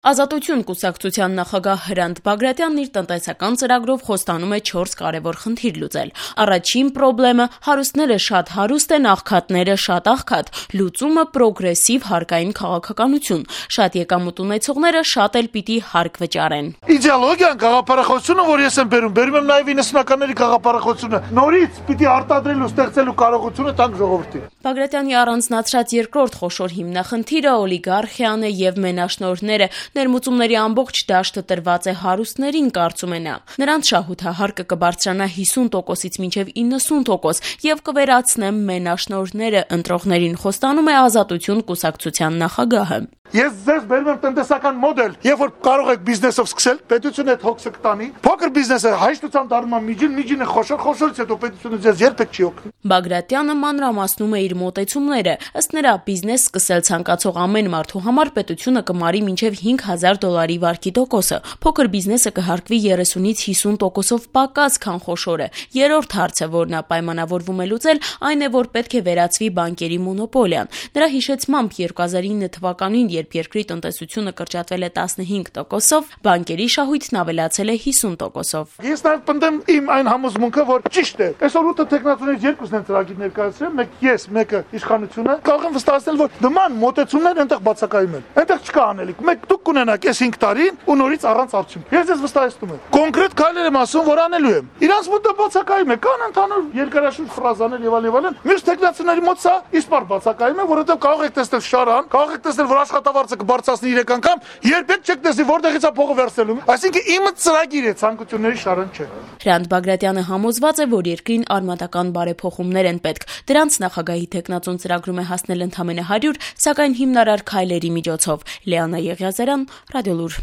Ազատություն կուսակցության նախագահ Հրանտ Բագրատյանն իր տնտեսական ծրագրով խոստանում է 4 կարևոր խնդիր լուծել։ Առաջին խնդիրը հարուստները շատ հարուստ են, աղքատները շատ աղքատ, լուծումը պրոգրեսիվ հարկային քաղաքականություն, շատ եկամուտ ունեցողները շատ էլ պիտի հարկ վճարեն։ Իդեոլոգիան գաղափարախոսությունը, որ ես եմ բերում եմ նաև 90-ականների գաղափարախոսությունը, նորից պիտի արտադրելու, ստեղծելու կարողությունը տանք ժողովրդին։ Բագրատյանի առանձնացրած երկրորդ խոշոր հիմնախնդիրը օլիգարխիան է եւ մենաշնորհները։ Ներմուծումների ամբողջ դաշտը տրված է հարուստներին, կարծում է նա։ Նրանց շահութահարկը կբարձրանա 50%-ից մինչև 90% եւ կվերացնեմ մենաշնորհները, ընտրողներին խոստանում է Ազատություն կուսակցության նախագահը։ Ես ձեզ բերում եմ տնտեսական մոդել, երբ որ կարող եք բիզնեսով սկսել, պետությունը այդ հոգսը կտանի, փոքր բիզնեսը հաշտությամբ դառնում է միջինը խոշորից հետո պետությունը ձեզ երբեք չի օգնի։ Բագրատյանը մանրամասնում է իր մոտեցումները։ Ըստ նրա, բիզնես սկսել ցանկացող ամեն մարդու համար պետությունը կմարի մինչև $5,000 վարկի տոկոսը։ Փոքր բիզնեսը կհարկվի 30-ից 50%-ով պակաս, քան խոշորը։ Երրորդ հարցը, որն նա պայմանավորվում է լուծել, այն է, որ պետք է վերացվի բանկերի մոնոպոլիան։ Նրա հիշեցմամբ 2009 թվականին, երբ երկրի տնտեսությունը կրճատվել է 15%-ով, բանկերի շահույթն ավելացել է 50%-ով։ Ես նաև պնդեմ իմ այն համոզմունքը, որ ճիշտ է։ Այսօր 8 տեխնացուներից երկուսն են ծրագիր ներկայացրել, մեկ ես, մեկը իշխանությունը։ Կարող եմ վստահել, որ նման մոտեցումներ այնտեղ բացակայում են։ Այնտեղ չկա անելիք։ Մեկ դուք կունենաք այս 5 տարին ու նորից առանց արդյունքի։ Ես ձեզ վստահեցնում եմ։ Կոնկրետ քայլեր եմ ասում, որ անելու եմ։ Իրանց մոտ դա բացակայում է, կան ընդհանուր երկարաշունչ ֆրազաներ եւ այլն։ Մյուս տեխնացիաների մոտ սա իսպար բացակայում է, որովհետեւ կարող եք տեսնել շարան, կարող եք տեսնել, որ աշխատավարձը կբարձրացնի 3 անգամ, երբեք չեք տեսնի որտեղից է փողը վերցնելու։ Այսինքն իմը ծրագիր է, ցանկությունների շարան չէ։ Հրանտ Բագրատյանը համոզված է, որ երկրին արմատական բարեփոխումներ են պետք։ Դրանց նախագահի թեկնածուն ծրագրում է հասնել ընդամենը 100, սակայն հիմնարար քայլերի միջոցով։ Լիանա Եղիազարյան, Ռադիոլուր։